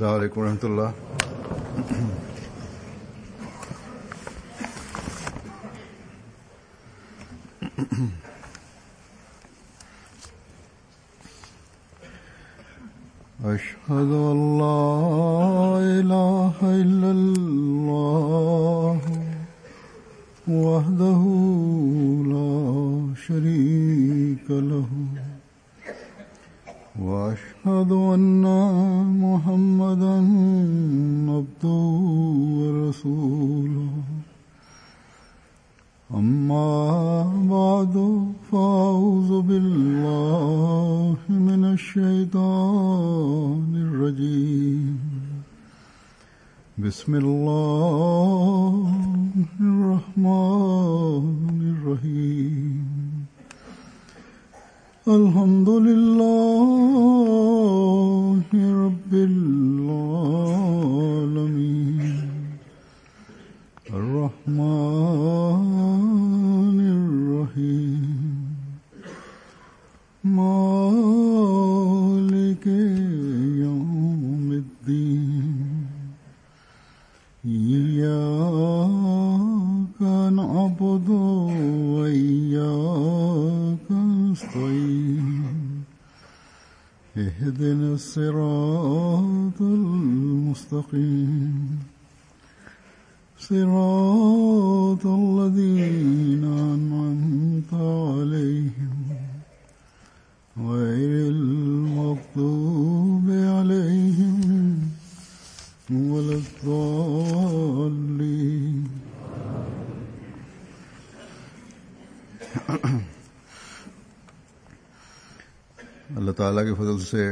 السلام عليكم ورحمة الله. أشهد أن لا إله إلا الله وحده لا شريك له وأشهد أن محمدا عبده ورسوله أما بعد فأعوذ بالله من الشيطان الرجيم بسم الله الرحمن الرحيم الحمد لله رب العالمين الرحمن الرحيم مالك يوم الدين إياك نعبد وإياك نستعين اهدنا الصراط المستقيم صراط الذين أنعمت عليهم غير المغضوب عليهم ولا الضالين. अल्लाह ताला के फजल से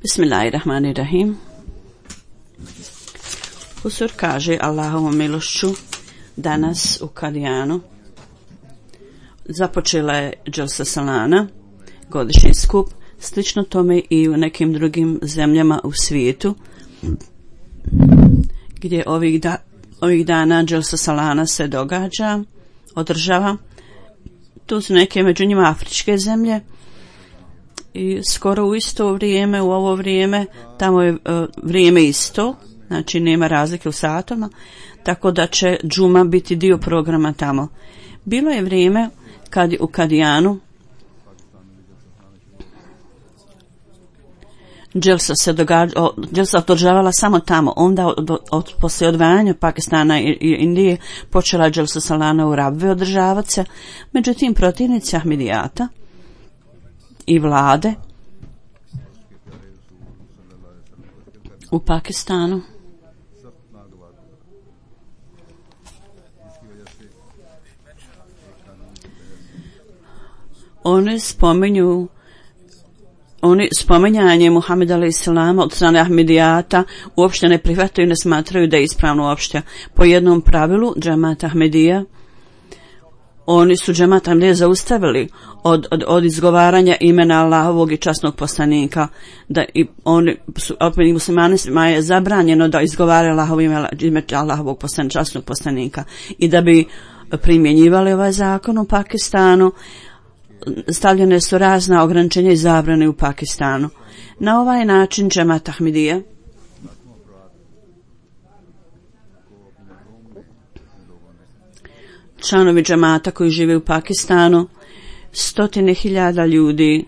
Bismillahirrahmanirrahim. Husur kaže Allahovom milošću danas u Kadijanu započela je Dželsa Salana, godišnji skup, slično tome i u nekim drugim zemljama u svijetu gdje ovih dana Dželsa Salana se održava. Tu su neke među njima afričke zemlje i skoro u isto vrijeme, u ovo vrijeme, tamo je vrijeme isto, znači nema razlike u satima, tako da će džuma biti dio programa tamo. Bilo je vrijeme kad u Kadijanu Dželsa održavala samo tamo, onda poslije odvajanja Pakistana i Indije počela Dželsa Salana u Rabve održavati se. Međutim, protivnici Ahmedijata i vlade u Pakistanu oni spominjanje Muhameda a.s. od strane Ahmedijata uopšte ne prihvataju i ne smatraju da je ispravno uopšte. Po jednom pravilu džemat Ahmedija, oni su džemat Ahmedija zaustavili od izgovaranja imena Allahovog i časnog poslanika, da i oni su, opet muslimanima je zabranjeno da izgovaraju ime Allahovog časnog poslanika, i da bi primjenjivali ovaj zakon u Pakistanu stavljene su razna ograničenja i zabrane u Pakistanu. Na ovaj način džemat Ahmedija članovi džemata koji žive u Pakistanu, 100.000 ljudi,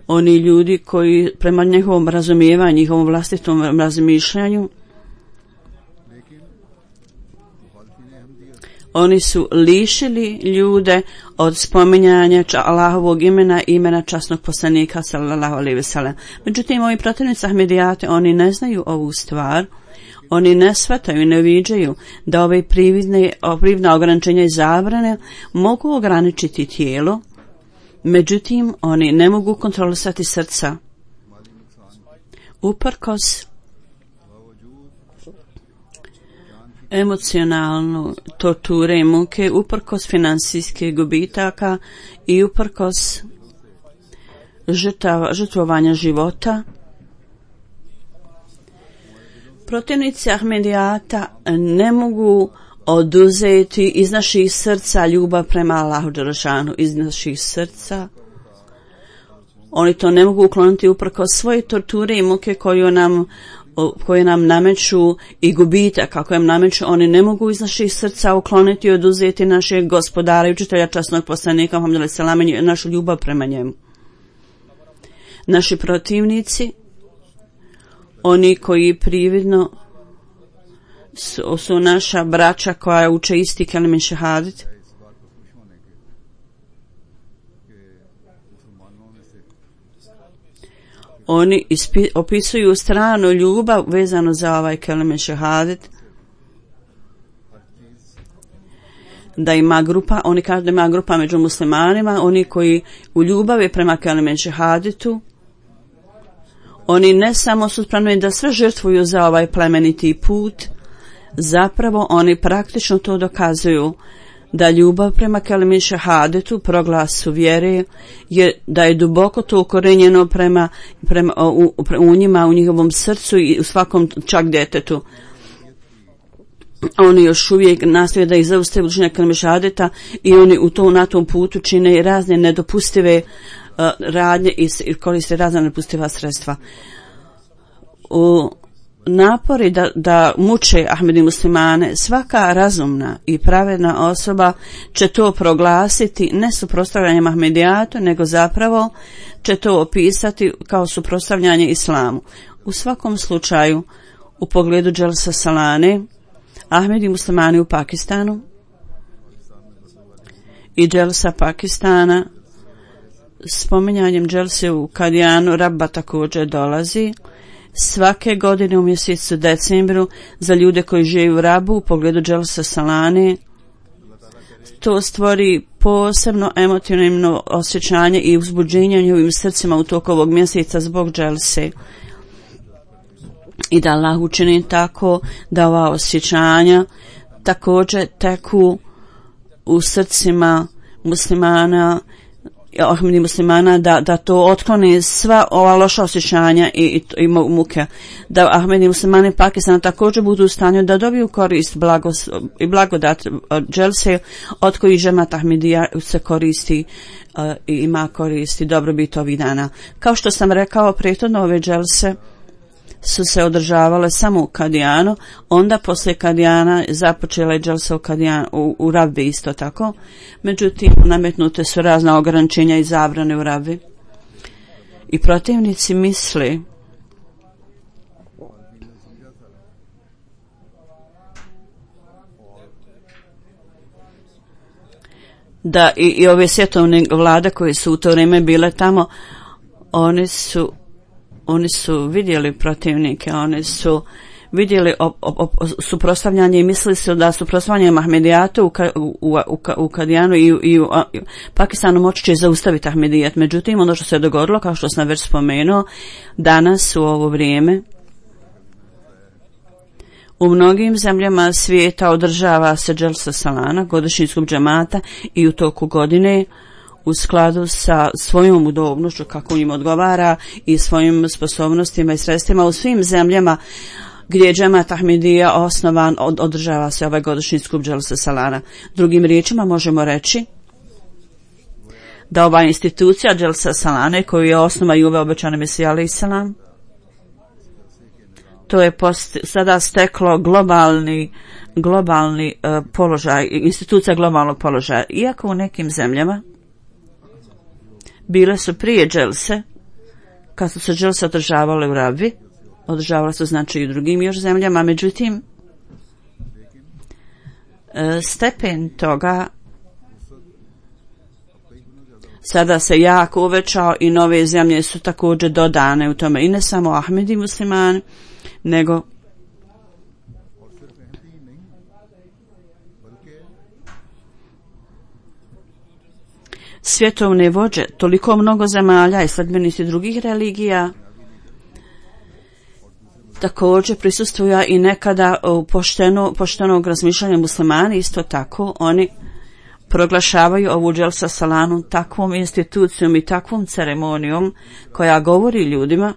oni ljudi koji prema njihovom razumijevanju, njihovom vlastitom razmišljanju, oni su lišili ljude od spominjanja Allahovog imena i imena časnog poslanika sallallahu alejhi ve sellem. Međutim, ovi protivnici Ahmedijate, oni ne znaju ovu stvar, oni ne shvataju i ne viđaju da ove prividna ograničenja i zabrane mogu ograničiti tijelo, međutim, oni ne mogu kontrolisati srca. Uprkos emocionalnu torture i muke, uprkos finansijskih gubitaka i uprkos žrtvovanja života, protivnici Ahmedijata ne mogu oduzeti iz naših srca ljubav prema Allahu dželešanu, iz naših srca Oni to ne mogu ukloniti uprkos svoje torture i muke koje nam nameću i gubitak kako im nameću. Oni ne mogu iz naših srca ukloniti i oduzeti našeg gospodara i učitelja časnog poslanika Muhameda alejhi selam i našu ljubav prema njemu. Naši protivnici, oni koji prividno su naša braća koja uče isti kelime šehadet, oni opisuju stranu ljubav vezano za ovaj kelime šehadet, da ima grupa, oni kažu da ima grupa među muslimanima, oni koji u ljubavi prema kelime šehadetu, oni ne samo su spremni da sve žrtvuju za ovaj plemeniti put, zapravo oni praktično to dokazuju da ljubav prema kelimi šehadetu, proglasu vjere, da je duboko to ukorenjeno u njima, u njihovom srcu i u svakom čak djetetu. Oni još uvijek nastoje da ih zaustave učenja kelime šehadeta i oni na tom putu čine razne nedopustive radnje i koriste razna nedopustiva sredstva. Napori da muče Ahmedi muslimane, svaka razumna i pravedna osoba će to proglasiti ne suprotstavljanjem Ahmedijatu, nego zapravo će to opisati kao suprotstavljanje islamu. U svakom slučaju, u pogledu Dželsa Salane, Ahmedi muslimani u Pakistanu i Dželsa Pakistana, spominjanjem Dželse u Kadijanu, Rabba također dolazi svake godine u mjesecu decembru za ljude koji žive u Rabu u pogledu Dželsa Salane. To stvori posebno emotivno osjećanje i uzbuđenje u njihovim srcima u toku ovog mjeseca zbog Dželse. I da Allah učini tako da ova osjećanja također teku u srcima muslimana, Ahmedi muslimana, da to otkloni sva ova loša osjećanja i muke, da Ahmedi muslimani Pakistana također budu u stanju da dobiju korist i blagodat Dželse od kojih Džemat Ahmedija se koristi i ima koristi dobrobit ovih dana. Kao što sam rekao, prethodno ove Dželse su se održavale samo u Kadijanu, onda poslije Kadijana započela je Dželsa u Rabbi isto tako, međutim nametnute su razna ograničenja i zabrane u Rabbi. I protivnici misli da i ove svjetovne vlade koje su u to vrijeme bile tamo, oni su vidjeli protivnike, oni su vidjeli suprotstavljanje i mislili su da suprotstavljanje Ahmedijatu u Kadijanu i u Pakistanu moći će zaustaviti Ahmedijat. Međutim, ono što se dogodilo, kao što sam već spomenuo, danas u ovo vrijeme u mnogim zemljama svijeta održava se Dželsa Salana, godišnji skup džemata, i u toku godine u skladu sa svojom udobnošću kako im odgovara i svojim sposobnostima i sredstvima u svim zemljama gdje je Džemat Ahmedija osnovan, održava se ovaj godišnji skup Dželsa Salana. Drugim riječima možemo reći da ova institucija Dželsa Salane koju je osnova i uveo obećani Mesija alejhi selam, to je sada steklo globalni položaj, institucija globalnog položaja. Iako u nekim zemljama bile su prije Dželse, kad su se Dželse održavale u Rabbi, održavale su znači i u drugim još zemljama, međutim stepen toga sada se jako uvećao i nove zemlje su također dodane u tome, i ne samo Ahmedi muslimani, nego svjetovne vođe, toliko mnogo zemalja i sledbenici drugih religija također prisustvuju i nekada u poštenog razmišljanja muslimani. Isto tako oni proglašavaju ovu Dželsa Salanu takvom institucijom i takvom ceremonijom koja govori ljudima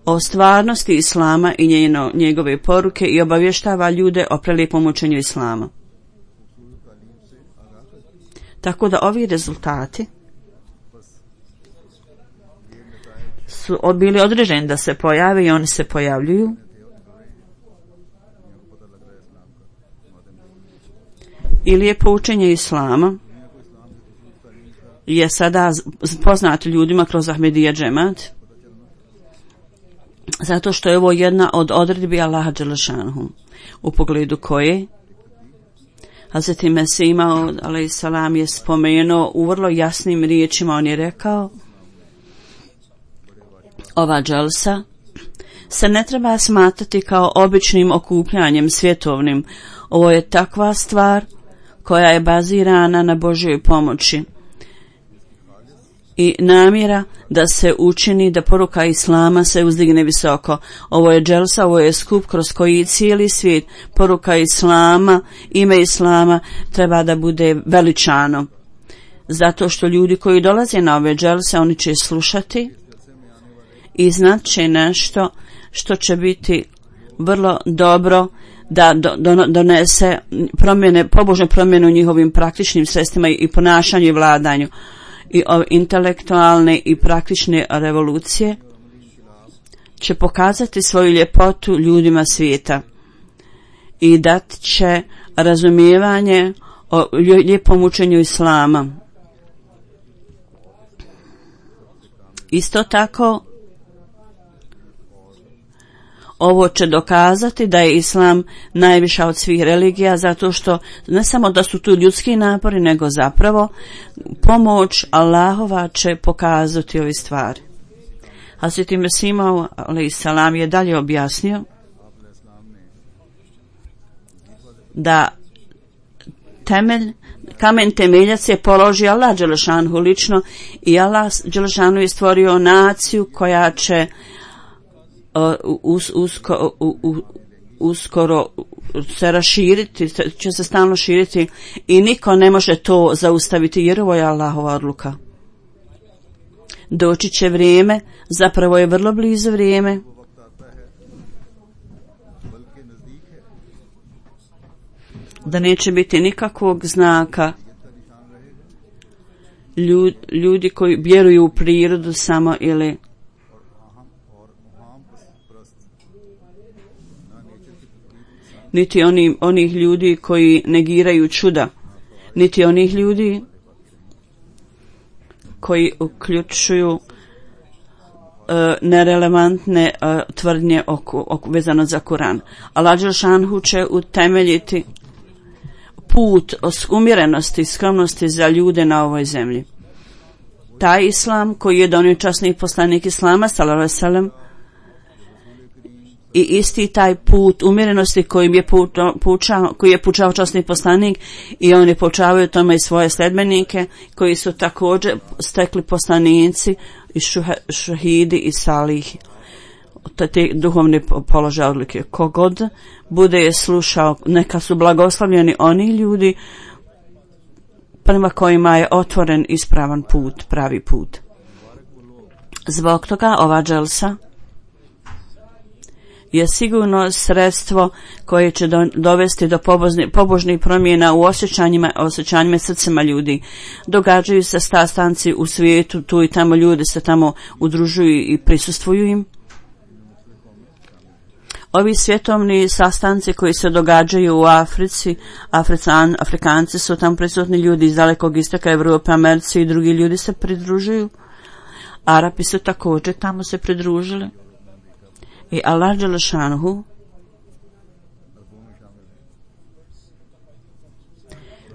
o stvarnosti islama i njegove poruke i obavještava ljude o prelijepom učenju islama. Tako da ovi rezultati su bili određeni da se pojave i oni se pojavljuju. Ili je poučenje islama je sada poznato ljudima kroz Ahmedija džemat, zato što je ovo jedna od odredbi Allaha dželešanhu, u pogledu koje Hazreti Mesih Maud alejsalam je spomenuo u vrlo jasnim riječima. On je rekao: ova dželsa se ne treba smatrati kao običnim okupljanjem svjetovnim. Ovo je takva stvar koja je bazirana na Božjoj pomoći i namjera da se učini da poruka islama se uzdigne visoko. Ovo je dželsa, ovo je skup kroz koji cijeli svijet, poruka islama, ime islama treba da bude veličano. Zato što ljudi koji dolaze na ove dželse, oni će slušati i znat će nešto što će biti vrlo dobro da donese promjene, pobožne promjene u njihovim praktičnim sredstvima i ponašanju i vladanju. I intelektualne i praktične revolucije će pokazati svoju ljepotu ljudima svijeta i dat će razumijevanje o lijepom učenju islama. Isto tako, ovo će dokazati da je islam najviša od svih religija, zato što ne samo da su tu ljudski napori, nego zapravo pomoć Allahova će pokazati ove stvari. Hazreti Mesih Maud alejsalam je dalje objasnio da kamen temeljac je položio Allah dželešanhu lično i Allah dželešanhu je stvorio naciju koja će uskoro se raširiti, će se stalno širiti i niko ne može to zaustaviti jer ovo je Allahova odluka. Doći će vrijeme, zapravo je vrlo blizu vrijeme, da neće biti nikakvog znaka. Ljudi koji vjeruju u prirodu samo ili niti onih ljudi koji negiraju čuda, niti onih ljudi koji uključuju nerelevantne tvrdnje vezano za Kuran. Allah dželešanhu će utemeljiti put umjerenosti i skromnosti za ljude na ovoj zemlji. Taj islam koji je donio časni poslanik islama sallallahu alejhi ve sellem i isti taj put umjerenosti koji je poučao časni poslanik i on je poučavao tome i svoje sledbenike koji su također stekli poslanici i šahidi i salihi. Te duhovne položaje odlike. Kogod bude je slušao, neka su blagoslavljeni oni ljudi prema kojima je otvoren ispravan put, pravi put. Zbog toga ova dželsa je sigurno sredstvo koje će dovesti do pobožnih promjena u osjećanjima i srcima ljudi. Događaju se sastanci u svijetu, tu i tamo ljudi se tamo udružuju i prisustvuju im. Ovi svjetovni sastanci koji se događaju u Africi, Afrikanci su tamo prisutni, ljudi iz dalekog istoka, Evrope, Americi i drugi ljudi se pridružuju. Arapi su također tamo se pridružili. I Allah dželešanhu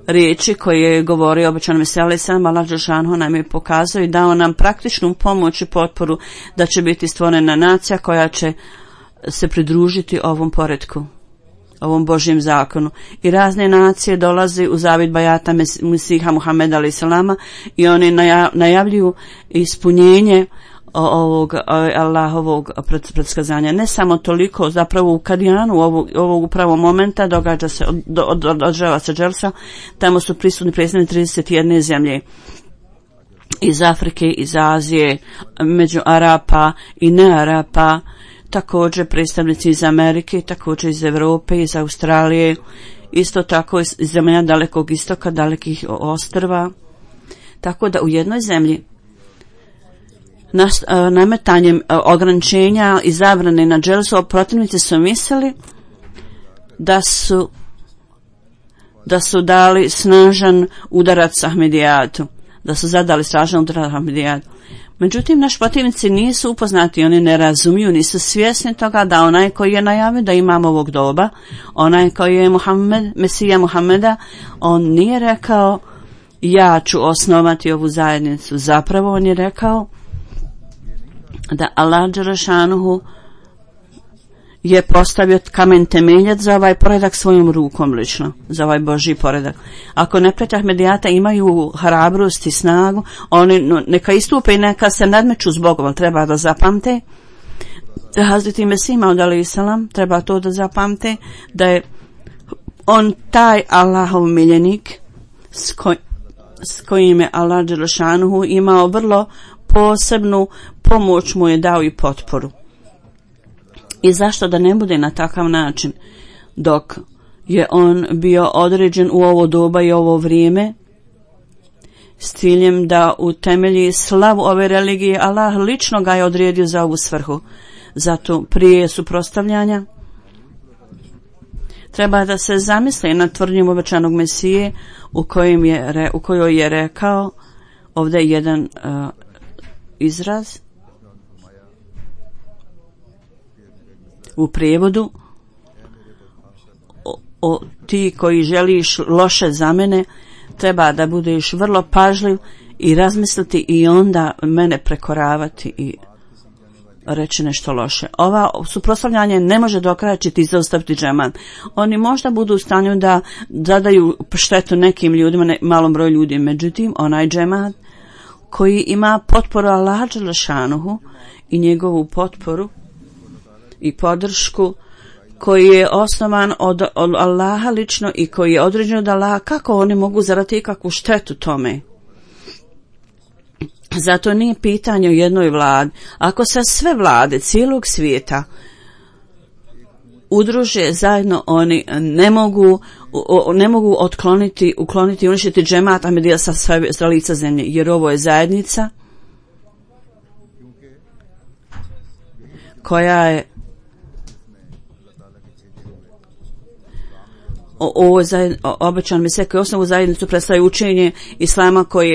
riječi koje je govorio obećan Mesija alejselam, Allah dželešanhu nam je pokazao i dao nam praktičnu pomoć i potporu da će biti stvorena nacija koja će se pridružiti ovom poretku, ovom Božjem zakonu. I razne nacije dolaze u zavid bajata Mesiha Muhameda alejselama i oni najavljuju ispunjenje ovog Allahovog predskazanja. Ne samo toliko, zapravo u Kadijanu ovog upravo momenta održava se dželsa, tamo su prisutni predstavnici 31 zemlje iz Afrike, iz Azije, među Arapa i ne Arapa, također predstavnici iz Amerike, također iz Europe, iz Australije, isto tako iz zemalja dalekog istoka, dalekih ostrva. Tako da u jednoj zemlji nametanjem ograničenja i zabrane na dželsu, protivnici su mislili da su dali snažan udarac Ahmedijatu, da su zadali snažan udarac Ahmedijatu. Međutim, naši protivnici nisu upoznati, oni ne razumiju, nisu svjesni toga da onaj koji je najavio da imamo ovog doba, onaj koji je Mesija Muhameda, on nije rekao ja ću osnovati ovu zajednicu. Zapravo on je rekao da Allah dželešanuhu je postavio kamen temeljac za ovaj poredak svojom rukom lično, za ovaj Božji poredak. Ako neprijatelji Ahmedijata imaju hrabrost i snagu, oni neka istupe i neka se nadmeću s Bogom, ali treba da zapamte Hazreti Mesih Maud alejhi selam, treba to da zapamte da je on taj Allahov miljenik s kojim je Allah dželešanuhu imao vrlo posebnu pomoć, mu je dao i potporu. I zašto da ne bude na takav način dok je on bio određen u ovo doba i ovo vrijeme s ciljem da utemelji slavu ove religije. Allah lično ga je odredio za ovu svrhu. Zato prije suprotstavljanja treba da se zamisli na tvrdnjom obećanog Mesije u kojoj je rekao, ovdje je jedan izraz u prijevodu, ti koji želiš loše za mene, treba da budeš vrlo pažljiv i razmisliti i onda mene prekoravati i reći nešto loše. Ova suprotstavljanje ne može dokrajčiti i zaustaviti džemat. Oni možda budu u stanju da zadaju štetu nekim ljudima, malom broju ljudi, međutim onaj džemat koji ima potporu Allaha dželešanuhu i njegovu potporu i podršku, koji je osnovan od Allaha lično i koji je određen od Allaha, kako oni mogu zaraditi kakvu štetu tome? Zato nije pitanje o jednoj vladi. Ako se sve vlade cijelog svijeta udruže zajedno, oni ne mogu ukloniti i uništiti džemat Ahmedija sa lica zemlje, jer ovo je zajednica koja je obećan Mesija koji osnovu zajednicu predstavlja učenje Islama koje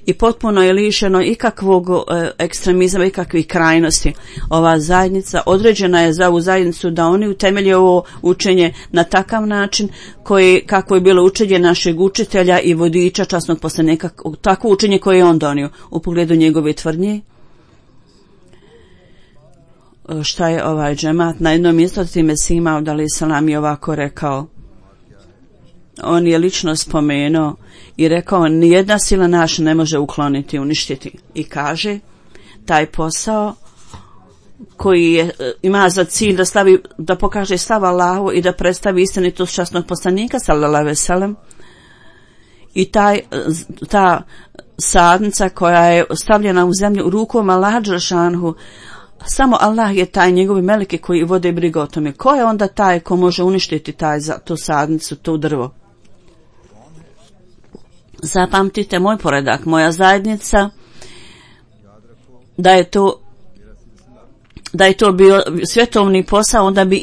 je potpuno je lišeno ikakvog ekstremizma, ikakvih krajnosti. Ova zajednica određena je za ovu zajednicu da oni utemelje ovo učenje na takav način kako je bilo učenje našeg učitelja i vodiča časnog poslanika, takvo učenje koje je on donio u pogledu njegove tvrdnje. Šta je ovaj džemat? Na jednom mjestu Mesija Maud alejhi selam je ovako rekao. On je lično spomenuo i rekao, nijedna sila naša ne može ukloniti, uništiti. I kaže, taj posao koji ima za cilj da pokaže stav Allahu i da predstavi istinitost časnog poslanika sallallahu alejhi ve sellem, i ta sadnica koja je stavljena u zemlju u rukom Allaha dželešanuhu, samo Allah je taj, njegovi meleki koji vode brigu o tome. Ko je onda taj ko može uništiti tu sadnicu, to drvo? Zapamtite moj poredak, moja zajednica, da je to bio svjetovni posao, onda bi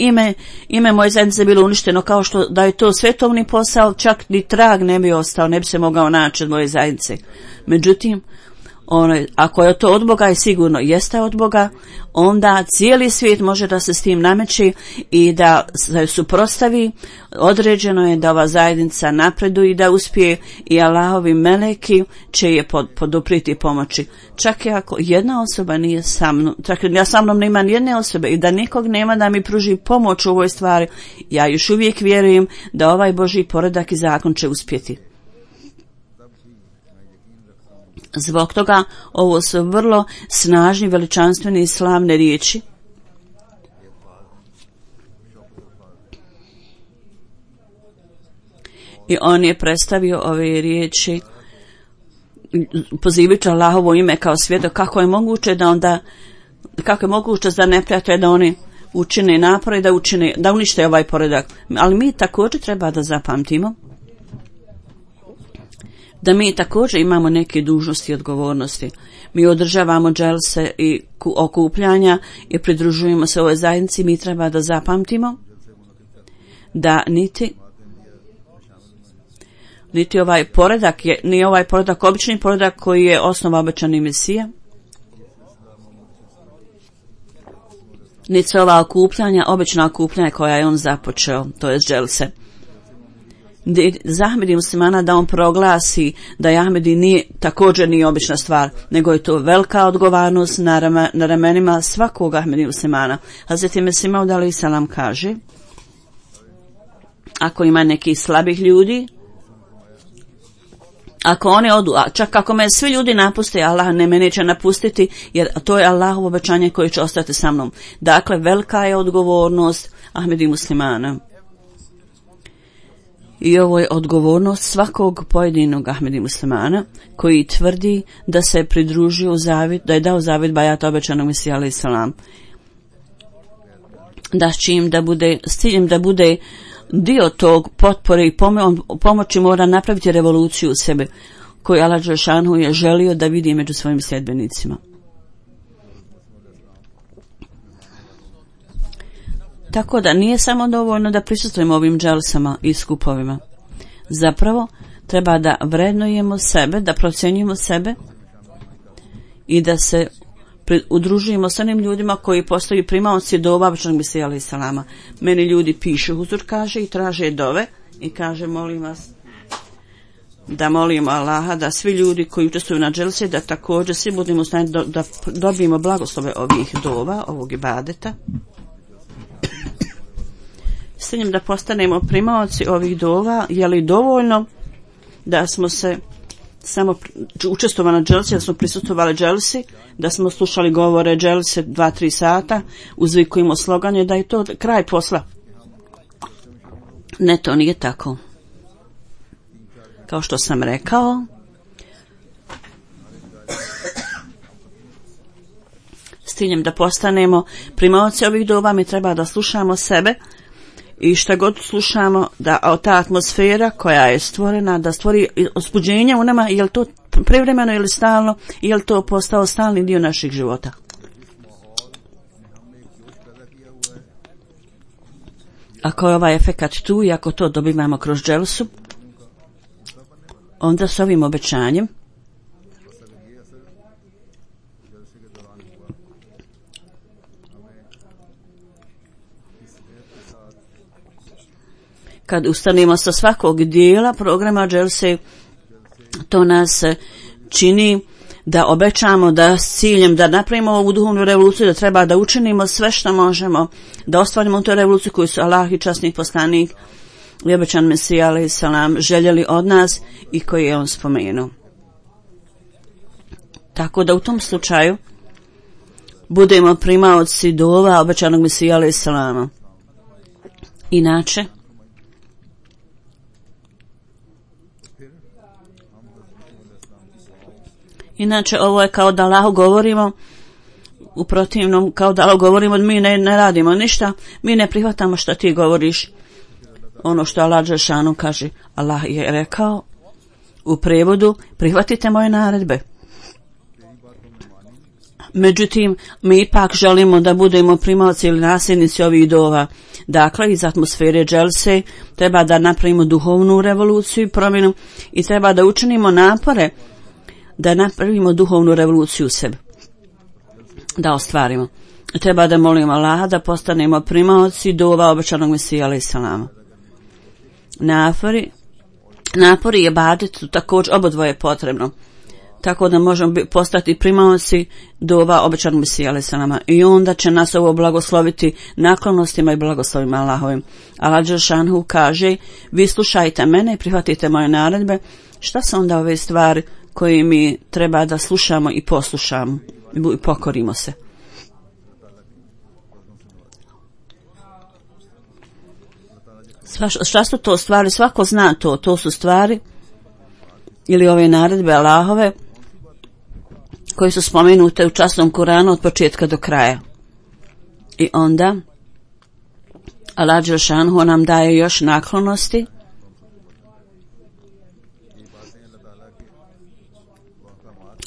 ime moje zajednice bilo uništeno, kao što da je to svjetovni posao, čak ni trag ne bi ostao, ne bi se mogao naći od moje zajednice. Međutim, ako je to od Boga i sigurno jeste od Boga, onda cijeli svijet može da se s tim nameći i da se suprotstavi. Određeno je da ova zajednica napreduje i da uspije, i Allahovi meleki će je poduprijeti i pomoći. Čak i ako jedna osoba nije sa mnom, čak ja sa mnom nema nijedne osobe i da nikog nema da mi pruži pomoć u ovoj stvari, ja još uvijek vjerujem da ovaj Božji poredak i zakon će uspjeti. Zbog toga ovo su vrlo snažni, veličanstveni i slavne riječi. I on je predstavio ove riječi pozivajući Allahovo ime kao svjedok. Kako je moguće za neprijatelje da oni učine napore da unište ovaj poredak. Ali mi također treba da zapamtimo da mi također imamo neke dužnosti i odgovornosti. Mi održavamo dželse i okupljanja i pridružujemo se ovoj zajednici. Mi treba da zapamtimo da niti ovaj poredak nije ovaj poredak obični poredak koji je osnova obećani Mesija, niti ova okupljanja, obična okupljanja koja je on započeo, to je dželse. Za Ahmedi muslimana da on proglasi da Ahmedi također nije obična stvar, nego je to velika odgovornost na ramenima svakog Ahmedi muslimana. Hazreti Mesih Maud alejhi selam kaže, ako ima nekih slabih ljudi, ako oni odu, a čak ako me svi ljudi napuste, Allah ne me neće napustiti, jer to je Allahovo obećanje koje će ostati sa mnom. Dakle, velika je odgovornost Ahmedi muslimana. I ovo je odgovornost svakog pojedinog Ahmedi muslimana koji tvrdi da se pridružio zavjet, da je dao zavjet bajata obećanog Mesija alejhi selam. Da s ciljem da bude dio tog potpore i pomoći mora napraviti revoluciju u sebe koju Allah dželešanu je želio da vidi među svojim sljedbenicima. Tako da nije samo dovoljno da prisustvujemo ovim dželsama i skupovima. Zapravo treba da vrednujemo sebe, da procjenjujemo sebe i da se udružujemo s onim ljudima koji postaju primaoci dova obećanog Mesija alejhi selama. Meni ljudi pišu, huzur kaže, i traže dove i kaže, molim vas da molimo Allaha da svi ljudi koji učestvuju na dželsi da također svi budemo u stanju da dobijemo blagoslove ovih dova, ovog ibadeta, s tim da postanemo primaoci ovih dova. Je li dovoljno da smo se samo učestvovali na dželsi, da smo prisustvovali dželsi, da smo slušali govore dželse 2-3 sata, uzvikujemo sloganje, da je to kraj posla? Ne, to nije tako. Kao što sam rekao, s ciljem da postanemo primaoci ovih dova, mi treba da slušamo sebe i šta god slušamo, da ta atmosfera koja je stvorena, da stvori ospuđenje u nama, je li to privremeno ili stalno, je li to postao stalni dio naših života. Ako je ovaj efekat tu i ako to dobivamo kroz dželsu, onda s ovim obećanjem kad ustanemo sa svakog dijela programa dželse, to nas čini da obećamo da s ciljem da napravimo ovu duhovnu revoluciju, da treba da učinimo sve što možemo, da ostvarimo tu revoluciju koju su Allah i časni poslanik i obećan Mesija alejhi selam željeli od nas i koji je on spomenuo. Tako da u tom slučaju budemo primaoci dova obećanog Mesija alejhi selama. Inače, ovo je kao da Allahu govorimo, u protivnom, kao da Allahu govorimo, mi ne radimo ništa, mi ne prihvatamo što ti govoriš. Ono što Allah dželešanu kaže, Allah je rekao u prevodu, prihvatite moje naredbe. Međutim, mi ipak želimo da budemo primaoci ili nasljednici ovih dova. Dakle, iz atmosfere dželse treba da napravimo duhovnu revoluciju i promjenu i treba da učinimo napore da napravimo duhovnu revoluciju u sebi, da ostvarimo. Treba da molimo Allaha da postanemo primaoci dova obećanog Mesija alejhi selama. Napori i ibadet su također obodvoje potrebno, tako da možemo postati primaoci dova obećanog Mesija alejhi selama i onda će nas ovo blagosloviti naklonostima i blagoslovima Allahovim. Allah dželešanu kaže, vi slušajte mene i prihvatite moje naredbe. Šta su onda ove stvari koje mi treba da slušamo i poslušamo i pokorimo se? Šta su to stvari? Svako zna to. To su stvari ili ove naredbe Allahove koje su spomenute u časnom Kuranu od početka do kraja. I onda Allah dželešanu nam daje još naklonosti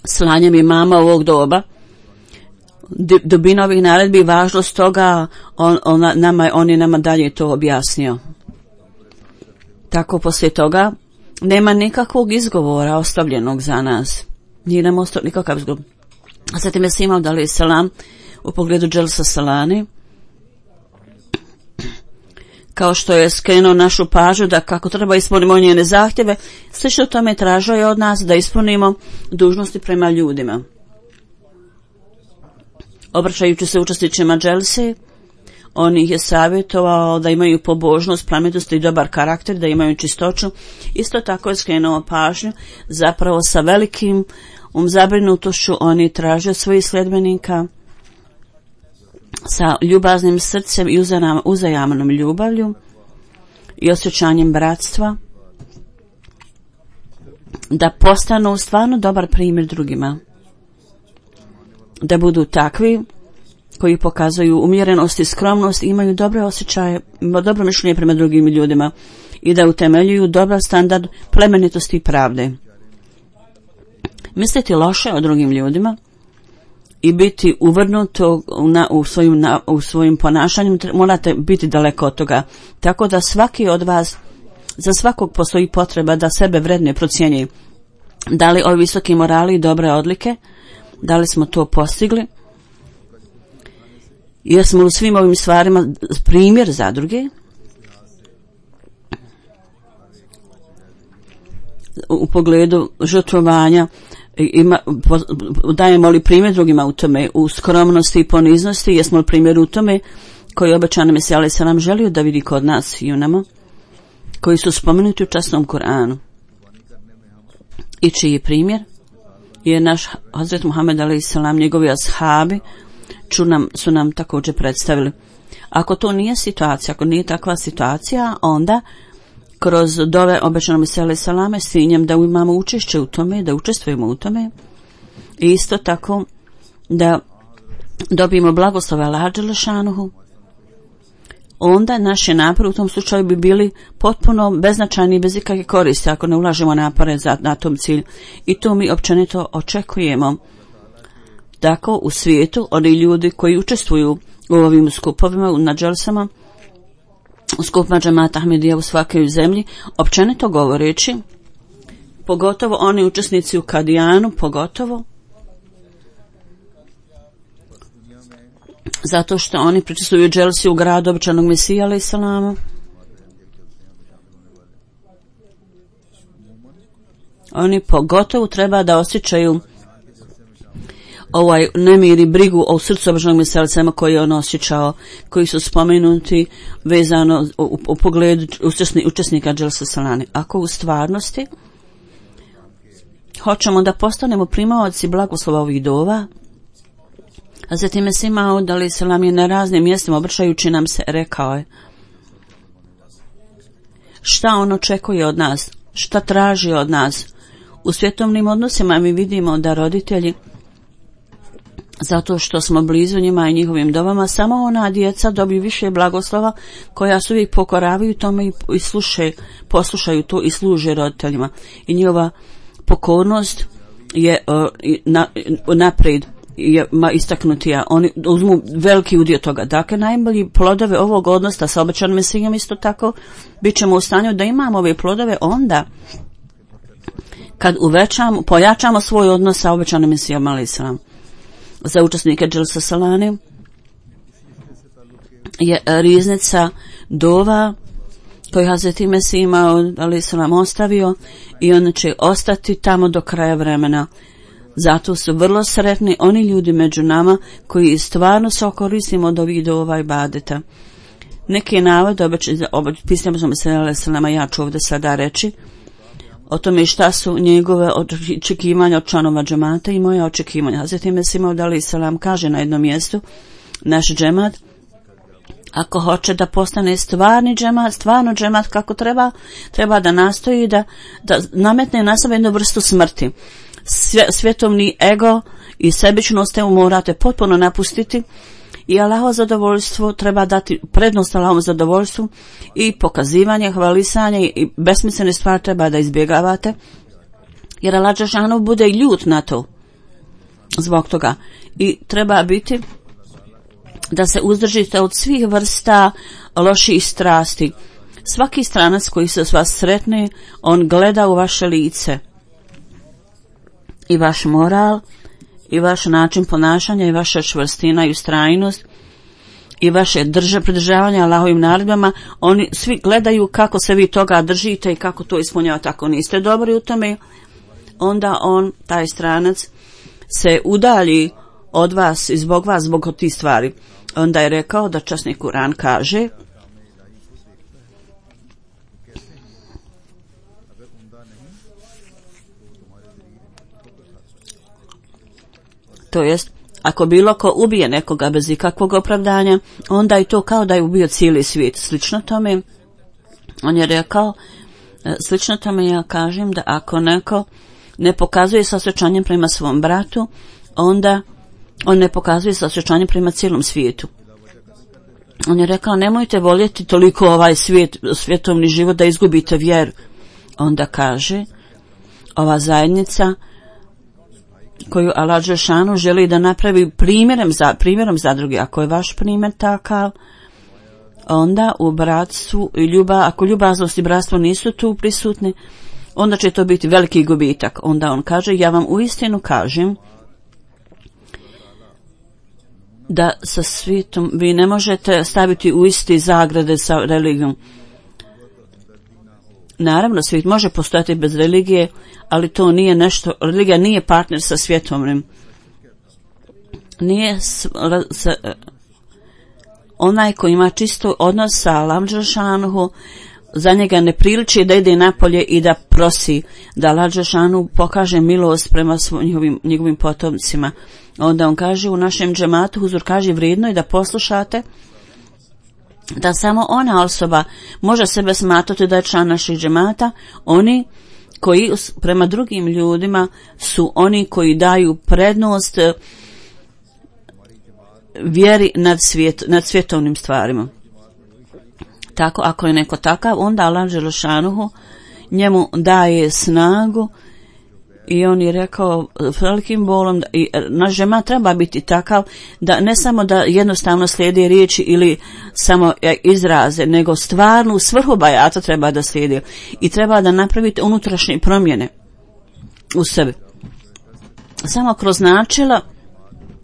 slanjem imama ovog doba, dubina ovih naredbi, važnost toga, on je nama dalje to objasnio. Tako poslije toga nema nikakvog izgovora ostavljenog za nas. Nije nam ostao nikakav izgovor. A zatim je Mesih Maud alejhi selam u pogledu Dželsa Salani, kao što je skrenuo našu pažnju da kako treba ispunimo njene zahtjeve, slično tome tražio je od nas da ispunimo dužnosti prema ljudima. Obraćajući se učesnicima Dželse, on ih je savjetovao da imaju pobožnost, plemenitost i dobar karakter, da imaju čistoću. Isto tako je skrenuo pažnju, zapravo sa velikim zabrinutošću on je tražio svojih sljedbenika sa ljubaznim srcem i uzajamnom ljubavlju i osjećanjem bratstva, da postanu stvarno dobar primjer drugima, da budu takvi koji pokazuju umjerenost i skromnost, imaju dobre osjećaje, dobro mišljenje prema drugim ljudima i da utemeljuju dobar standard plemenitosti i pravde. Misliti loše o drugim ljudima i biti uvrnuto u svojim ponašanjem, morate biti daleko od toga. Tako da svaki od vas, za svakog postoji potreba da sebe vredne procjenjuje. Da li ovi visoki morali i dobre odlike, da li smo to postigli? Jesmo u svim ovim stvarima primjer za druge? U pogledu žrtvovanja, dajemo li primjer drugima u tome, u skromnosti i poniznosti, jesmo li primjer u tome koji obećani Mesija alejhi selam želio da vidi kod nas i u nama, koji su spomenuti u časnom Kur'anu, i čiji primjer je naš Hazret Muhammed alejhi selam, njegovi ashabi su nam također predstavili. Ako to nije situacija, ako nije takva situacija, onda kroz dove obećanog Mesija alejhi selam s ciljem da imamo učešće u tome, da učestvujemo u tome i isto tako da dobijemo blagoslov Allaha dželle šanuhu, onda naše napore u tom slučaju bi bili potpuno beznačajni i bez ikakve koristi ako ne ulažemo napore na tom cilju. I to mi općenito očekujemo. Tako u svijetu oni ljudi koji učestvuju u ovim skupovima, na dželsama, u skupima džemata Ahmedija u svakoj zemlji, općenito govoreći, pogotovo oni učesnici u Kadijanu, pogotovo zato što oni pričestvuju dželsi u gradu obećanog Mesija alejhi selama. Oni pogotovo treba da osjećaju ovaj nemir i brigu o srcu obećanog Mesija alejhi selama koji je on osjećao, koji su spomenuti vezano u pogledu učesnika dželsa Salane. Ako u stvarnosti hoćemo da postanemo primaoci blagoslova ovih dova, a zatim Mesih Maud alejhi selam je na raznim mjestima obraćajući nam se rekao je šta on očekuje od nas, šta traži od nas. U svjetovnim odnosima mi vidimo da roditelji, zato što smo blizu njima i njihovim dovama, samo ona djeca dobiju više blagoslova koja se uvijek pokoravaju tome i poslušaju to i služe roditeljima. I njihova pokornost je naprijed istaknutija. Oni uzmu veliki udio toga. Dakle, najbolji plodove ovog odnosa sa obećanim Mesijom isto tako bit ćemo u stanju da imamo ove plodove onda kad pojačamo svoj odnos sa obećanim Mesijom alejhi selam. Za učesnike dželsa Salane je riznica dova koju Hazret Mesih Maud alejhi selam ostavio i on će ostati tamo do kraja vremena. Zato su vrlo sretni oni ljudi među nama koji stvarno se okoristimo od ovih dova i ibadeta. Neki navod pisanja Mesija alejhi selama ja ću ovdje sada reći o tome šta su njegove očekivanja od članova džemata i moje očekivanja. Hazret Mesih Maud alejhi selam kaže na jednom mjestu, naš džemat, ako hoće da postane stvarno džemat kako treba da nastoji da nametne na sebe jednu vrstu smrti. Svjetovni ego i sebičnost morate potpuno napustiti i Allahovo zadovoljstvo treba dati prednost Allahovom zadovoljstvu i pokazivanje, hvalisanje i besmislene stvari treba da izbjegavate, jer Allah dželle šanuhu bude ljut na to. zbog toga. I treba biti da se uzdržite od svih vrsta loših strasti. Svaki stranac koji se s vas sretne, on gleda u vaše lice. I vaš moral, i vaš način ponašanja, i vaša čvrstina i ustrajnost, i vaše pridržavanje Allahovim naredbama, oni svi gledaju kako se vi toga držite i kako to ispunjavate. Ako niste dobri u tome, onda taj stranac, se udalji od vas i zbog vas, zbog tih stvari. Onda je rekao da časni Kur'an kaže: to jest, ako bilo ko ubije nekoga bez ikakvog opravdanja, onda je to kao da je ubio cijeli svijet. Slično tome, on je rekao, slično tome ja kažem da ako neko ne pokazuje saosjećanje prema svom bratu, onda on ne pokazuje saosjećanje prema cijelom svijetu. On je rekao, nemojte voljeti toliko ovaj svjetovni život da izgubite vjeru. Onda kaže, ova zajednica koju Allah dželešanu želi da napravi primjerom za druge. Ako je vaš primjer takav, onda u bratstvu i ako ljubaznost i bratstvo nisu tu prisutni, onda će to biti veliki gubitak. Onda on kaže, ja vam uistinu kažem da sa svijetom vi ne možete staviti u isti zagrade sa religijom. Naravno, svijet može postojati bez religije, ali to nije nešto, religija nije partner sa svjetovnim. Onaj koji ima čisto odnos sa Allahom dželešanu, za njega ne priliči da ide napolje i da prosi da Allah dželešanu pokaže milost prema njegovim potomcima. Onda on kaže, u našem džematu huzur kaže, vrijedno je da poslušate da samo ona osoba može sebe smatrati da je član naših džemata, oni koji prema drugim ljudima su oni koji daju prednost vjeri nad svjetovnim stvarima. Tako, ako je neko takav, onda Allah dželešanu njemu daje snagu. I on je rekao velikim bolom, i naš džemat treba biti takav da ne samo da jednostavno slijedi riječi ili samo izraze, nego stvarnu svrhu bajata treba da slijedi i treba da napravite unutrašnje promjene u sebi. Samo kroz načela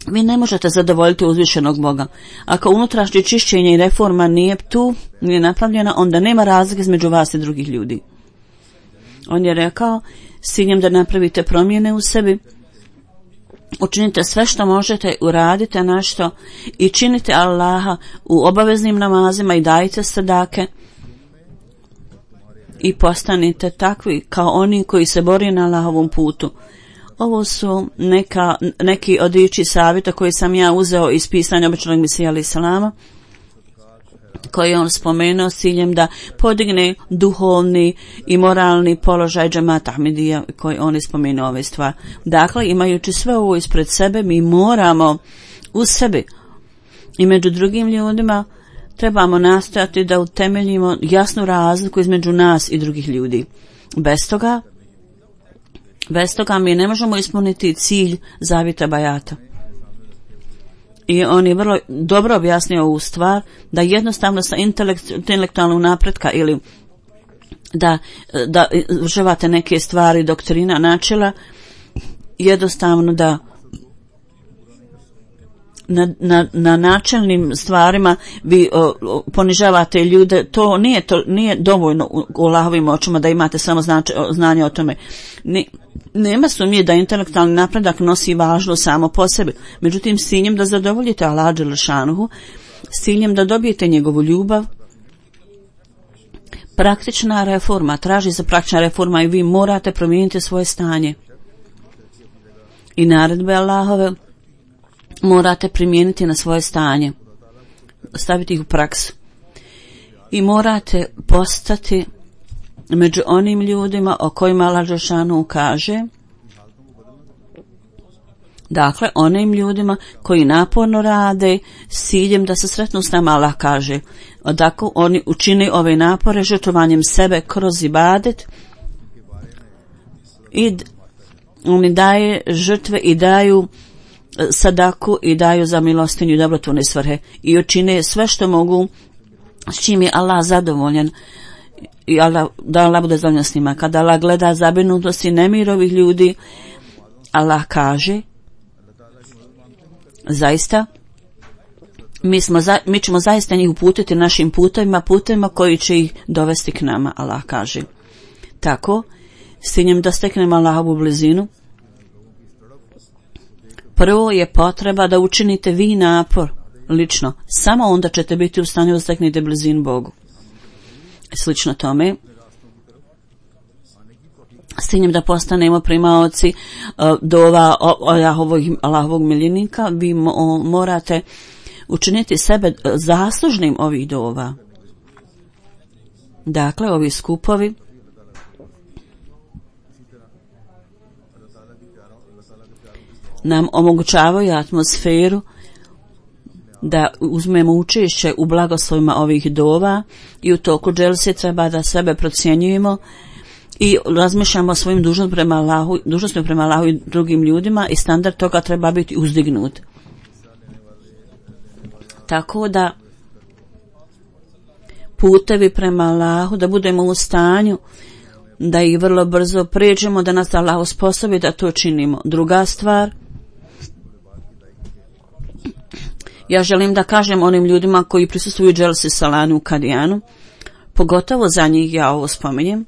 vi ne možete zadovoljiti uzvišenog Boga. Ako unutrašnje čišćenje i reforma nije napravljena, onda nema razlike između vas i drugih ljudi. On je rekao, s ciljem da napravite promjene u sebi, učinite sve što možete, uradite nešto i činite Allaha u obaveznim namazima i dajte sadake i postanite takvi kao oni koji se bori na Allahovom putu. Ovo su neki od riječi savjeta koje sam ja uzeo iz pisanja običnog Mesija alejhi selama, koji on spomenuo s ciljem da podigne duhovni i moralni položaj džemata Ahmedija, koji on je spomenuo ove stvari. Dakle, imajući sve ovo ispred sebe, mi moramo u sebi i među drugim ljudima trebamo nastojati da utemeljimo jasnu razliku između nas i drugih ljudi. Bez toga mi ne možemo ispuniti cilj zavjeta bajata. I on je vrlo dobro objasnio ovu stvar, da jednostavno sa intelektualnog napretka ili da uživate neke stvari, doktrina, načela, jednostavno da na načelnim stvarima vi ponižavate ljude, to nije dovoljno u Allahovim očima da imate samo znanje o tome. Nema sumnje da intelektualni napredak nosi važnost samo po sebi. Međutim, s ciljem da zadovoljite Allaha dželešanu, s ciljem da dobijete njegovu ljubav, praktična reforma, traži se praktična reforma i vi morate promijeniti svoje stanje. I naredbe Allahove morate primijeniti na svoje stanje, staviti ih u praksu. I morate postati među onim ljudima o kojima Allah dželešanu kaže, dakle onim ljudima koji naporno rade s ciljem da se sretnu s nama. Allah kaže, dakle oni učine ove napore žrtvovanjem sebe kroz ibadet i oni daje žrtve i daju sadaku i daju za milostinju i dobrotvorne svrhe i učine sve što mogu s čim je Allah zadovoljan i da Allah bude zadovoljan s njima. Kada Allah gleda zabrinutost i nemir ovih ljudi, Allah kaže zaista mi ćemo zaista njih uputiti našim putevima koji će ih dovesti k nama, Allah kaže. Tako, s ciljem da steknemo Allahovu blizinu, prvo je potreba da učinite vi napor lično, samo onda ćete biti u stanju da steknete blizinu Bogu. Slično tome, s ciljem da postanemo primaoci dova Allahovog miljenika, vi morate učiniti sebe zaslužnim ovih dova. Dakle, ovi skupovi nam omogućavaju atmosferu da uzmemo učešće u blagoslovima ovih dova i u toku dželse treba da sebe procjenjujemo i razmišljamo o svojim dužnostima prema Allahu i drugim ljudima i standard toga treba biti uzdignut. Tako da putevi prema Allahu, da budemo u stanju da ih vrlo brzo pređemo, da nas Allah osposobi da to činimo. Druga stvar, ja želim da kažem onim ljudima koji prisustvuju dželsi Salanu u Kadijanu, pogotovo za njih ja ovo spominjem,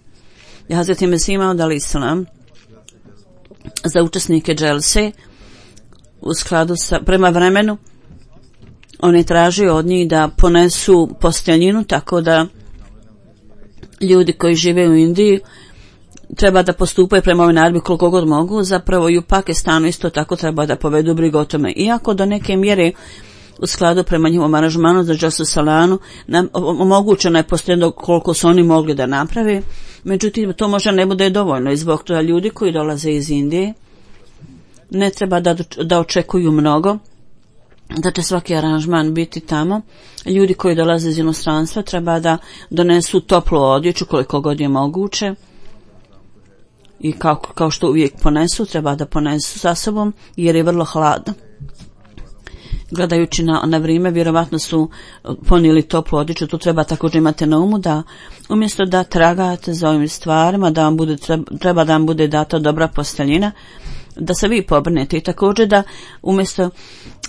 Hazreti Mesih Maud alejhi selam za učesnike dželse u skladu sa prema vremenu on je tražio od njih da ponesu posteljinu, tako da ljudi koji žive u Indiji treba da postupaju prema ovoj naredbi koliko god mogu. Zapravo i u Pakistanu isto tako treba da povedu brigu o tome. Iako do neke mjere u skladu prema njihovom aranžmanu za dželsu Salanu omogućeno je posteljeno koliko su oni mogli da naprave, međutim to možda ne bude dovoljno i zbog toga ljudi koji dolaze iz Indije ne treba da očekuju mnogo, da će svaki aranžman biti tamo. Ljudi koji dolaze iz inostranstva treba da donesu toplu odjeću koliko god je moguće i kao što uvijek ponesu, treba da ponesu sa sobom jer je vrlo hladno. Gledajući na vrijeme, vjerovatno su ponijeli toplu odjeću. Tu treba također imati na umu da umjesto da tragate za ovim stvarima, treba da vam bude data dobra posteljina, da se vi pobrinete i također da umjesto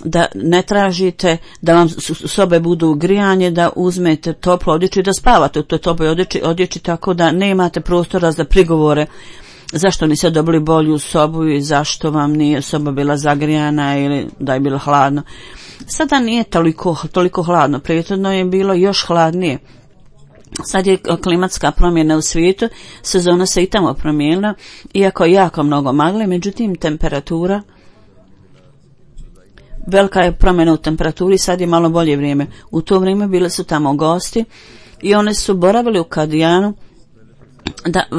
da ne tražite da vam sobe budu grijanje, da uzmete toplu odjeću i da spavate u toj toploj odjeći, tako da ne imate prostora za prigovore zašto niste dobili bolju sobu i zašto vam nije soba bila zagrijana ili da je bilo hladno. Sada nije toliko hladno, prethodno je bilo još hladnije. Sad je klimatska promjena u svijetu, sezona se i tamo promijenila, iako je jako mnogo magle, međutim temperatura, velika je promjena u temperaturi, sad je malo bolje vrijeme. U to vrijeme bili su tamo gosti i oni su boravili u Kadijanu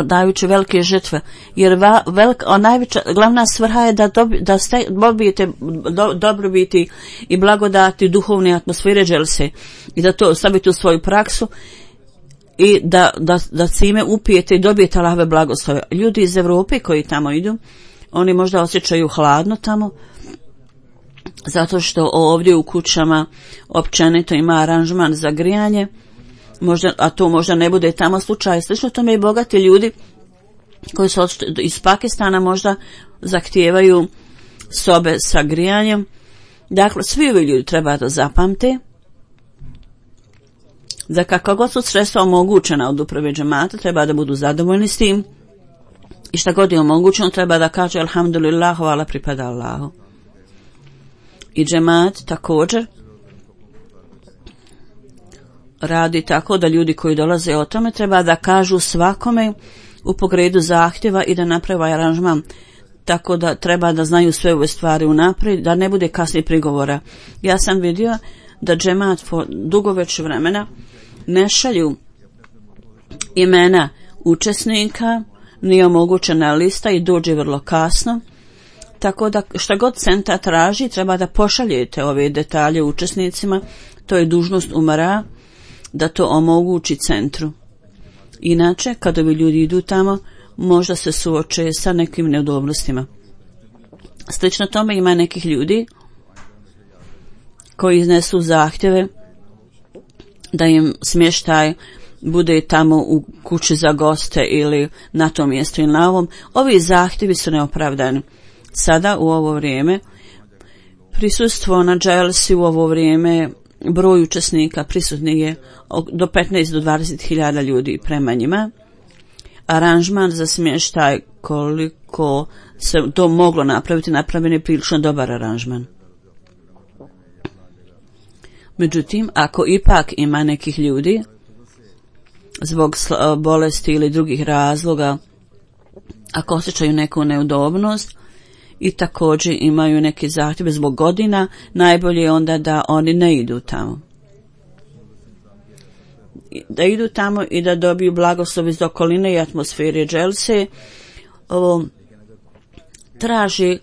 dajući velike žrtve, jer glavna svrha je da dobijete dobrobiti i blagodati duhovne atmosfere dželse i da to stavite u svoju praksu i da cime upijete i dobijete Allahove blagoslove. Ljudi iz Europe koji tamo idu, oni možda osjećaju hladno tamo, zato što ovdje u kućama općenito ima aranžman za grijanje, a to možda ne bude tamo slučaj. Slično tome i bogati ljudi koji su iz Pakistana možda zahtijevaju sobe sa grijanjem. Dakle, svi ovi ljudi treba da zapamte da kako god su sredstva omogućena od uprave džemata, treba da budu zadovoljni s tim i šta god je omogućeno treba da kaže alhamdulillah, hvala pripada Allahu. I džemat također radi tako da ljudi koji dolaze o tome treba da kažu svakome u pogledu zahtjeva i da naprave aranžman, tako da treba da znaju sve ove stvari unaprijed, da ne bude kasnije prigovora. Ja sam vidio da džemat dugo već vremena ne šalju imena učesnika, nije omogućena lista i dođe vrlo kasno, tako da šta god centar traži treba da pošaljete ove detalje učesnicima, to je dužnost umara da to omogući centru. Inače, kada ovi ljudi idu tamo, možda se suoče sa nekim neudobnostima. Slično tome ima nekih ljudi koji iznesu zahtjeve da im smještaj bude tamo u kući za goste ili na tom mjestu ili na ovom. Ovi zahtjevi su neopravdani. Sada u ovo vrijeme prisustvo na dželsi u ovo vrijeme, broj učesnika prisutnih je do 15 do 20.000 ljudi prema njima. Aranžman za smještaj, koliko se to moglo napraviti, napravljen je prilično dobar aranžman. Međutim, ako ipak ima nekih ljudi zbog bolesti ili drugih razloga, ako osjećaju neku neudobnost i također imaju neke zahtjeve zbog godina, najbolje je onda da oni ne idu tamo. Da idu tamo i da dobiju blagoslov iz okoline i atmosfere dželse. Ovo traži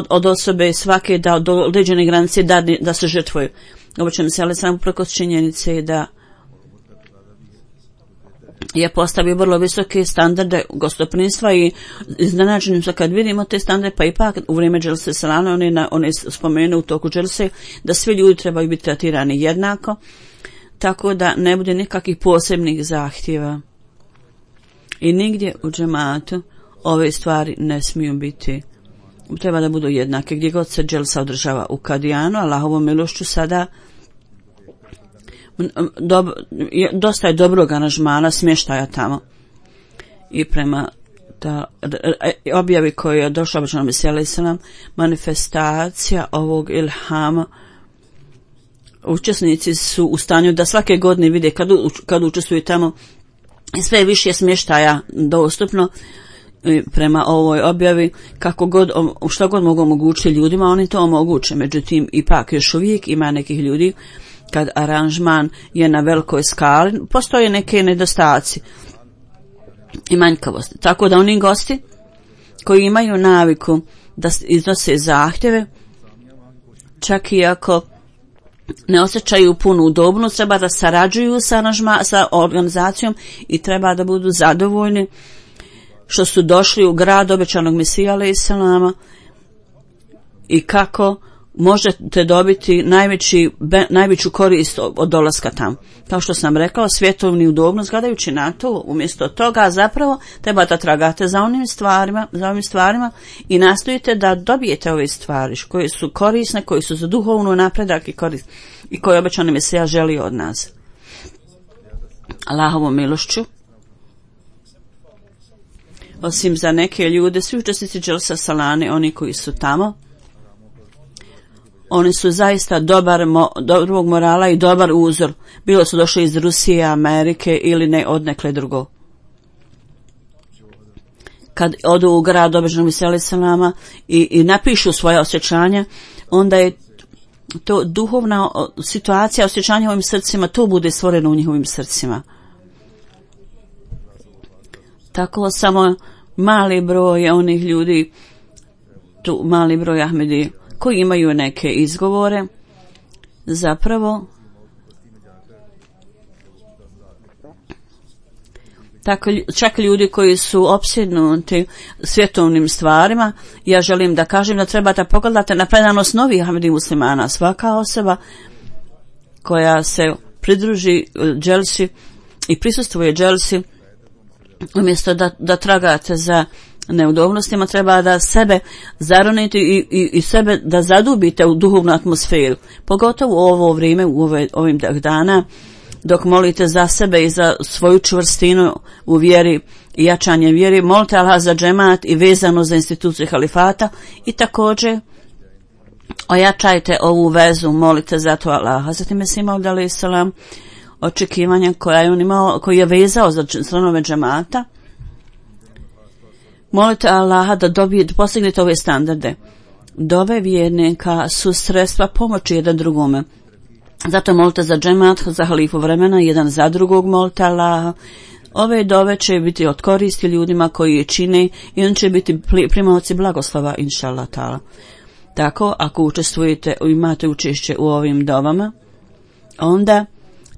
od osobe svake da do određene granice da se žrtvuju. Ovo će mi se ali samo preko činjenice da je postavio vrlo visoke standarde gostoprimstva i iznenađenim se kad vidimo te standarde, pa ipak u vrijeme dželse salana on je spomenuo u toku dželse da svi ljudi trebaju biti tretirani jednako, tako da ne bude nikakvih posebnih zahtjeva. I nigdje u džematu ove stvari ne smiju biti, treba da budu jednake. Gdje god se dželsa održava u Kadijanu, Allahovom milošću sada dosta je dobrog aranžmana smještaja tamo. I prema objavi koji je došla obično Mesija manifestacija ovog ilhama, učesnici su u stanju da svake godine vide kad učestvuju tamo i sve više smještaja dostupno. Prema ovoj objavi, kako god, što god mogu omogućiti ljudima, oni to omoguće. Međutim, ipak još uvijek ima nekih ljudi kad aranžman je na velikoj skali, postoje neke nedostaci i manjkavosti. Tako da oni gosti koji imaju naviku da iznose zahtjeve, čak i ako ne osjećaju punu udobnost, treba da sarađuju sa organizacijom i treba da budu zadovoljni što su došli u grad obećanog Mesija alejhi selama i kako možete dobiti najveću korist od dolaska tamo. Kao što sam rekao, svjetovni udobnost, gledajući na to, umjesto toga zapravo treba da tragate za ovim stvarima i nastojite da dobijete ove stvari koje su korisne, koje su za duhovnu napredak i koje obećani Mesija želi od nas. Allahovom milošću, osim za neke ljude, svi učesnici dželsa salane, oni koji su tamo, oni su zaista dobrog morala i dobar uzor. Bilo su došli iz Rusije, Amerike ili ne odnekle drugo. Kad odu u grad obećanog Mesija alejhi selama i napišu svoje osjećanja, onda je to duhovna situacija, osjećanja u ovim srcima, to bude stvoreno u njihovim srcima. Tako samo mali broj onih ljudi, tu mali broj Ahmedi koji imaju neke izgovore, zapravo tako, čak ljudi koji su opsjednuti svjetovnim stvarima, ja želim da kažem da treba da pogledate na predanost novih Ahmedi muslimana. Svaka osoba koja se pridruži dželsi i prisustvuje dželsi, umjesto da tragate za neudobnostima, treba da sebe zaronite i sebe da zadubite u duhovnu atmosferu. Pogotovo u ovo vrijeme, u ovim dana, dok molite za sebe i za svoju čvrstinu u vjeri i jačanje vjeri, molite Allah za džemat i vezano za instituciju halifata i također ojačajte ovu vezu, molite za to Allaha. Zatim je Mesija alejhi selam očekivanja koja je on imao, koji je vezao za članove džemata. Molite Allaha da postignete ove standarde. Dove vjernika su sredstva pomoći jedan drugome. Zato molite za džemat, za halifu vremena, jedan za drugog molite Allaha. Ove dove će biti od koristi ljudima koji je čine i on će biti primaoci blagoslova, inša Allah ta'ala. Tako, ako učestvujete, imate učešće u ovim dovama, onda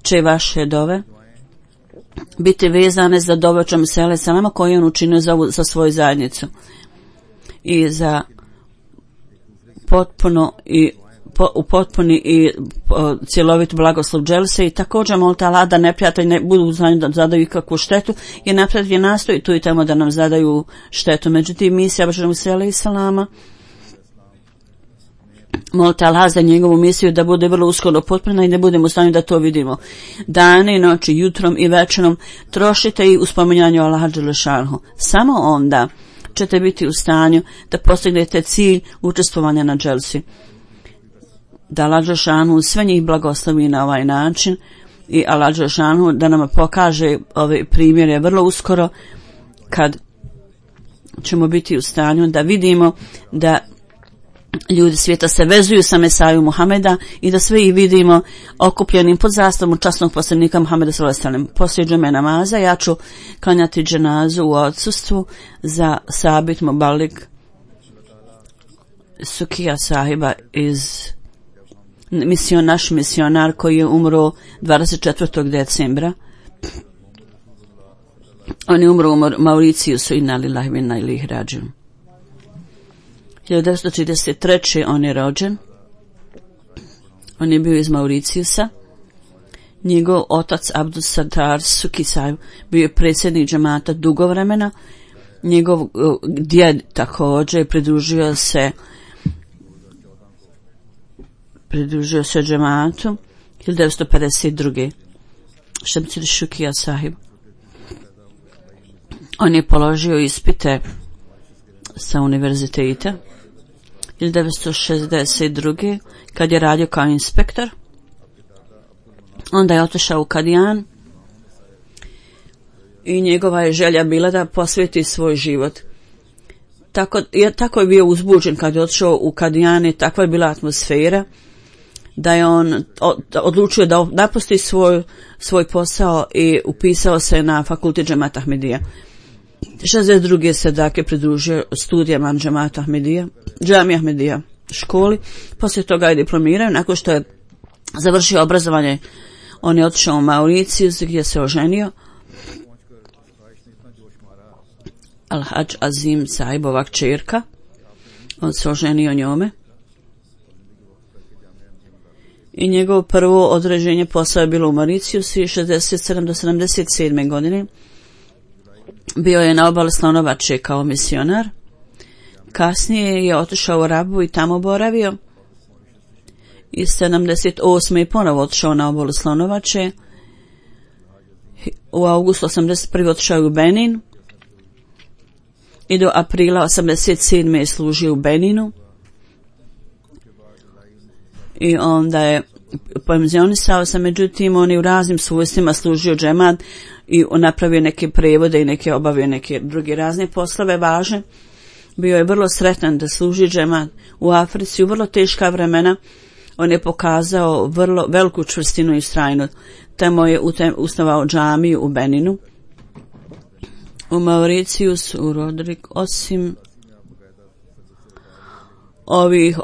će vaše dove biti vezane za dove očem Mesija alejhi selama koje on učinio za svoju zajednicu. i za potpuni i cjelovit blagoslov dželse i također molite Allah da neprijatelji ne budu u stanju da zadaju ikakvu štetu, jer neprijatelji nastoji tu i tamo da nam zadaju štetu. Međutim, misija Božeg Musa alejhi selama, molite Allah za njegovu misiju da bude vrlo uskoro potpuna i da budemo u stanju da to vidimo. Dane i noći, jutrom i večerom trošite i u spominjanju Allaha dželle šanehu. Samo onda ćete biti u stanju da postignete cilj učestvovanja na dželsi. Da Allah dželle šanehu sve njih blagoslovi na ovaj način i Allah dželle šanehu da nam pokaže ove primjere vrlo uskoro kad ćemo biti u stanju da vidimo da ljudi svijeta se vezuju sa Mesaju Muhameda i da sve ih vidimo okupljenim pod zastavom časnog poslanika Muhameda sallallahu alejhi ve sellem. Poslije džume namaza ja ću klanjati dženazu u odsustvu za Sabit Mubalik Sukija sahiba naš misionar koji je umro 24. decembra. On je umro u Mauricijusu, inna lillahi wa inna ilaihi rađiun. 1933. on je rođen. On je bio iz Mauricijusa. Njegov otac Abdul Sattar Suki Sahib bio je predsjednik džemata dugo vremena. Njegov djed također pridružio se džematu 1952. Šemsir Šukija Sahib. On je položio ispite sa univerziteta 1962. kad je radio kao inspektor. Onda je otišao u Kadijan i njegova je želja bila da posveti svoj život. Tako je bio uzbuđen kad je otišao u Kadijan i takva je bila atmosfera da je on odlučio da napusti svoj posao i upisao se na fakultet džemata Ahmedija. 62. se dakle pridružio studijama džemata Ahmedija, džamija Ahmedija školi. Poslije toga je diplomirao. Nakon što je završio obrazovanje, on je otišao u Mauricijus gdje se oženio. Al-Hadž Azim Sahibova kćerka. On se oženio njome. I njegovo prvo određenje posao je bilo u Mauricijusu 67. do 77. godine. Bio je na obali Slonovače kao misionar. Kasnije je otišao u Rabu i tamo boravio. I 78. je ponovo otišao na obalu Slonovače. U augustu 81. otišao u Benin. I do aprila 87. je služio u Beninu. I onda je penzionisao se, međutim on je u raznim svojstvima služio džemat i napravio neke prevode i obavio neke druge razne poslove važne. Bio je vrlo sretan da služi džemat u Africi u vrlo teška vremena. On je pokazao vrlo veliku čvrstinu i strajnost. Tamo je osnovao džamiju u Beninu. U Mauricijus, u Rodrik, osim ovih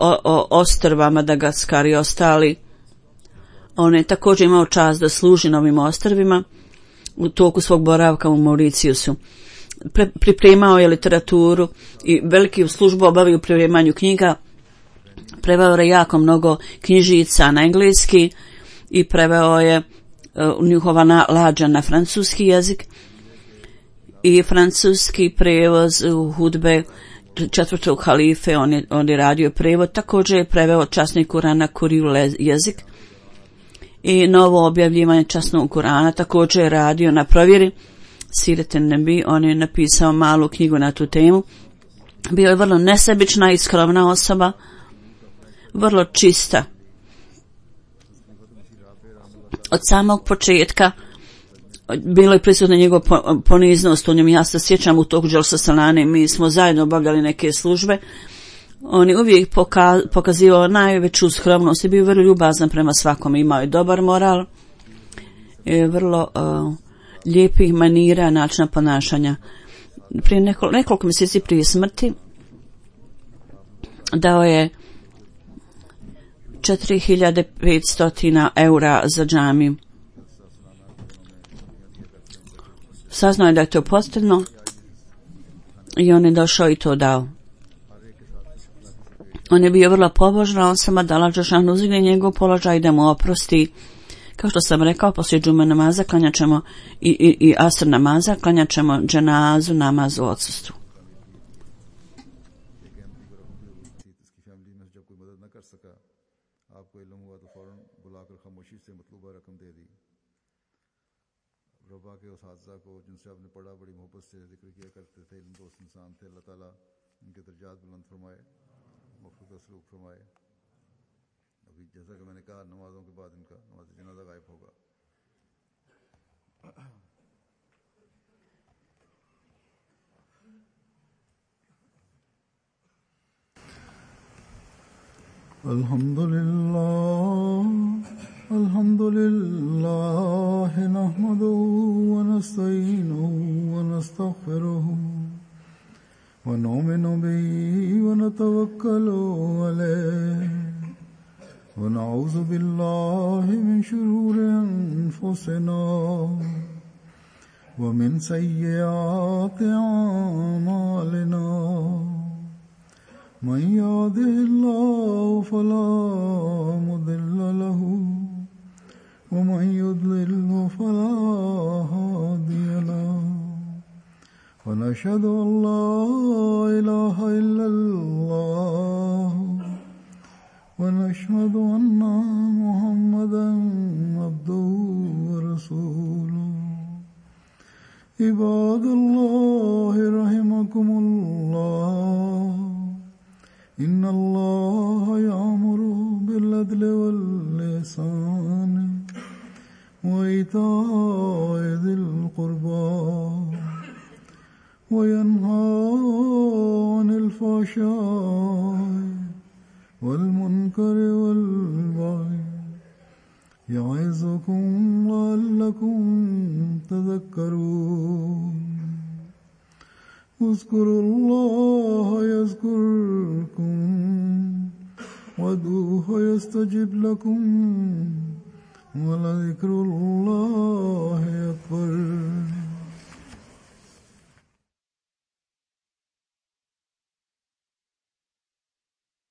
ostrva Madagaskar i ostali, on je također imao čast da služi na ovim ostrvima u toku svog boravka u Mauricijusu. Pripremao je literaturu i veliki službu obavio u pripremanju knjiga. Preveo je jako mnogo knjižica na engleski i preveo je njihova lađa na francuski jezik i francuski prevoz u hudbe četvrtog halife. On je radio prevod. Također je preveo časni Kuran na Kuril jezik i novo objavljivanje časnog Kurana. Također je radio na provjeri Siret en-Nebi. On je napisao malu knjigu na tu temu. Bio je vrlo nesebična i skromna osoba, vrlo čista. Od samog početka bilo je prisutna njegova poniznost u njemu. Ja se sjećam u toku Dželsa Salane, mi smo zajedno obavljali neke službe. On je uvijek pokazivao najveću skromnost i bio vrlo ljubazan prema svakom. Imao je dobar moral i vrlo lijepih manira, načina ponašanja. Prije nekoliko mjeseci prije smrti dao je 4500 eura za džamiju. Saznao je da je to potrebno i on je došao i to dao. On je bio vrlo pobožna osoba, da Allah dželešanu uzdigne njegov položaj i da mu oprosti. Kao što sam rekao, poslije džume namaza klanjat ćemo i asr namaza, klanjat ćemo dženazu, namaz u odsustvu. रबा के उस हादसा को जिनसे आपने पढ़ा बड़ी मोहब्बत से जिक्र किया करते थे, इन दोस्त इंसान थे, अल्लाह ताला उनके दर्जात बुलंद फरमाए, मग़फ़िरत व सलूक फरमाए। अभी जैसा कि मैंने कहा, नमाजों के बाद इनका नमाज जनाजा गायब होगा। अल्हम्दुलिल्लाह नहमदुहु व नस्तईनुहु व नस्तग़फिरुहु व नुमिनु बिही व नतवक्कलु अलैहि व नऊज़ु बिल्लाहि मिन शुरूरि अनफुसिना व मिन सय्यिआति अअमालिना। मन यहदिहिल्लाहु फला मुदिल्ल लहु व मन युद्लिल्हु फला हादिय लहु व नशहदु अन ला इलाहा इल्लल्लाह व नशहदु अन्ना मुहम्मदन अब्दुहु व रसूलुहु। इबादल्लाहि रहिमकुमुल्लाह इन्ना अल्लाह यामुरु बिल-अद्लि वल-इहसान व ईताइ ज़िल-क़ुर्बा व यन्हा अनिल फ़हशाइ वल-मुनकरि वल-बग़य य'iज़ुकुम लअल्लकुम तज़क्करून। उज़्कुरुल्लाह यज़्कुरकुम वदूहु यस्तजिब लकुम व लज़िक्रुल्लाहि अकबर।